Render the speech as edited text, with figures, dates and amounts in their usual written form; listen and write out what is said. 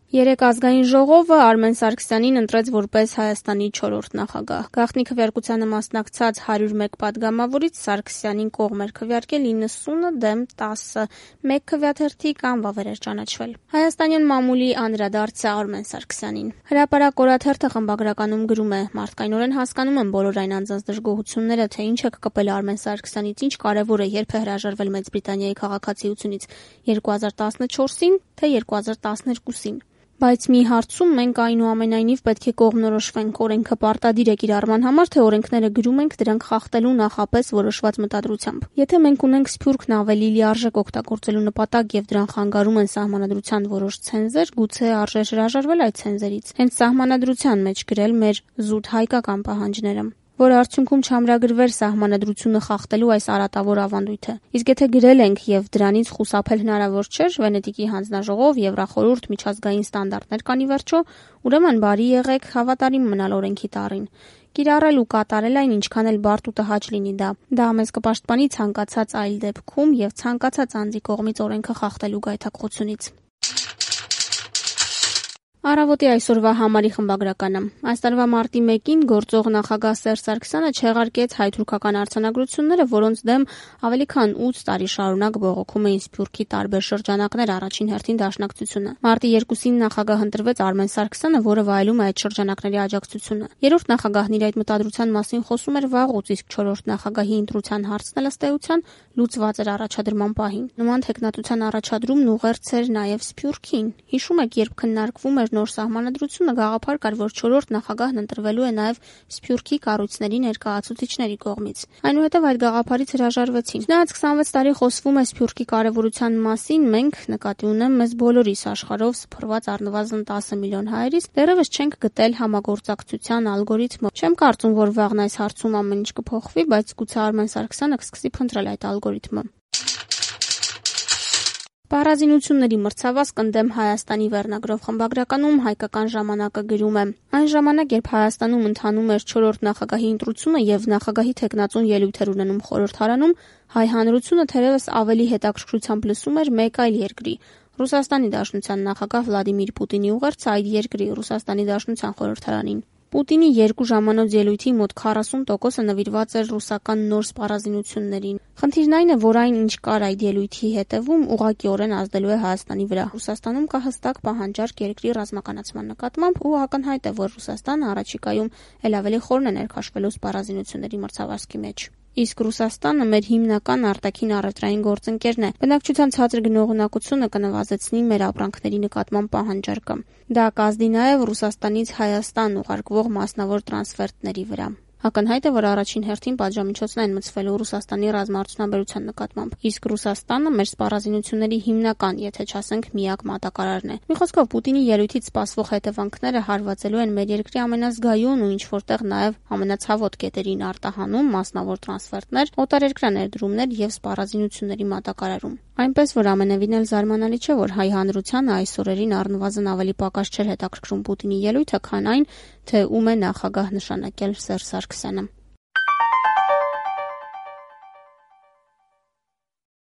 Երեկ ազգային ժողովը Արմեն Սարգսյանին ընտրեց որպես Հայաստանի 4-րդ նախագահ։ Գաղտնի քվեարկությանը մասնակցած 101 պատգամավորից Սարգսյանին կողմ էր քվեարկել 90 դեմ 10, 1 քվեաթերթի կամ վավեր էր ճանաչվել։ Հայաստանյան մամուլի անդրադարձ է Արմեն Սարգսյանին։ Հրապարակ օրաթերթը խմբագրականում գրում է. «Մարդկայնորեն հասկանում եմ բոլոր այն անձանց դժգոհությունները, թե ինչ եք կպել Արմեն Սարգսյանից, ինչ կարևոր է, երբ է հրաժարվել Մեծ Բրիտանիայի քաղաքացիությունից 2014-ին, թե 2012-ին։ Բայց մի հարցում մենք այնուամենայնիվ պետք է կողմնորոշվենք, օրենքը պարտադիր է կիրառման համար, թե օրենքները գրում ենք դրանք խախտելու նախապես որոշված մտադրությամբ։ Եթե մենք ունենք Սփյուռքն ավելի լիարժեք օգտագործելու նպատակ եւ դրան խանգարում են Սահմանադրության որոշ ցենզեր, գուցե արժե հրաժարվել այդ ցենզերից, հենց Սահմանադրության մեջ գրել մեր զուտ հայկական պահանջները, որ արդյունքում չամրագրվեր Սահմանադրությունը խախտելու այս արատավոր ավանդույթը։ Իսկ եթե գրել ենք եւ դրանից խուսափել հնարավոր չէր, Վենետիկի հանձնաժողով, Եվրախորհուրդ, միջազգային ստանդարտներ կան ի վերջո, ուրեմն բարի եղեք հավատարիմ մնալ օրենքի տառին։ Կիրառել ու կատարել այն ինչքան էլ բարդ ու տհաճ լինի դա։ Դա մեզ կպաշտպանի ցանկացած այլ դեպքում եւ ցանկացած անձի կողմից օրենքը խախտելու գայթակղությունից»։ Առավոտի այսօրվա համարի խմբագրականը։ Այս տարվա մարտի 1-ին գործող նախագահ Սերժ Սարգսյանը չեղարկեց հայ-թուրքական արձանագրությունները, որոնց դեմ ավելի քան 8 տարի շարունակ բողոքում էին Սփյուռքի տարբեր շրջանակներ, առաջին հերթին Դաշնակցությունը։ Մարտի 2-ին նախագահ ընտրվեց Արմեն Սարգսյանը, որը վայելում է այդ շրջանակների աջակցությունը։ Երրորդ նախագահն իր այդ մտադրության մասին խոսում էր վաղուց, իսկ 4-րդ նախագահի ընտրության հարցն էլ ըստ էության լուծված էր առաջադրման պահին։ Նման թեկնածության առաջադրումն ուղերձ էր նաև Սփյուռքին։ Հիշում եք, երբ քննարկվում էր նոր Սահմանադրությունը, գաղափար կար, որ 4-րդ նախագահն ընտրվելու է նաև Սփյուռքի կառույցների ներկայացուցիչների կողմից։ Այնուհետև այդ գաղափարից հրաժարվեցին։ Չնայած 26 տարի խոսվում է Սփյուռքի կարևորության մասին, մենք, նկատի ունեմ մեզ բոլորիս աշխարհով սփռված առնվազն 10 միլիոն հայերիս, դեռևս չենք գտել համագործակցության ալգորիթմը։ Չեմ կարծում, որ վաղն այս հարցում ամեն ինչ կփոխվի, բայց գուցե Արմեն Սարգսյանը կսկսի փնտրել այդ ալգորիթմը։ Պարազինությունների մրցավազք ընդդեմ Հայաստանի վերնագրով խմբագրականում Հայկական ժամանակը գրում է. այն ժամանակ, երբ Հայաստանում ընթանում էր 4-րդ նախագահի ընտրությունը եւ նախագահի թեկնածուն ելույթ էր ունենում խորհրդարանում, հայ հանրությունը թերևս ավելի հետաքրքրությամբ լսում էր մեկ այլ երկրի՝ Ռուսաստանի Դաշնության նախագահ Վլադիմիր Պուտինի ուղերձը այդ երկրի Ռուսաստանի Դաշնության խորհրդարանին։ Պուտինի 2 ժամանոց ելույթի մոտ 40%-ը նվիրված էր ռուսական նոր սպառազինություններին։ Խնդիրն այն է, որ այն, ինչ կար այդ ելույթի հետևում, ուղղակիորեն ազդելու է Հայաստանի վրա։ Ռուսաստանում կա հստակ պահանջարկ երկրի ռազմականացման նկատմամբ ու ակնհայտ է, որ Ռուսաստանը առաջիկայում ել ավելի խորն է ներքաշվելու սպառազինությունների մրցավազքի մեջ։ Իսկ Ռուսաստանը մեր հիմնական արտաքին առևտրային գործընկերն է։ Բնակչության ցածր գնողունակությունը կնվազեցնի մեր ապրանքների նկատմամբ պահանջարկը։ Դա կազդի նաև Ռուսաստանից Հայաստան ուղարկվող մասնավոր տրանսֆերտների վրա։ Ակնհայտ է, որ առաջին հերթին պատժամիջոցն են մտցվելու Ռուսաստանի ռազմաարդյունաբերության նկատմամբ, իսկ Ռուսաստանը մեր սպառազինությունների հիմնական, եթե չասենք միակ մատակարարն է։ Մի խոսքով, Պուտինի ելույթից սպասվող հետևանքները հարվածելու են մեր երկրի ամենազգայուն ու ինչ-որտեղ նաև ամենացավոտ կետերին՝ արտահանում, մասնավոր տրանսֆերտներ, օտարերկրյա ներդրումներ եւ սպառազինությունների մատակարարում։ Այնպես որ ամենևին էլ զարմանալի չէ, որ հայ հանրությանը այս օրերին առնվազն ավելի պակաս չէր հետաքրքրում Պուտինի ելույթը, քան այն, թե ում է նախագահ նշանակել Սերժ Սարգսյանը։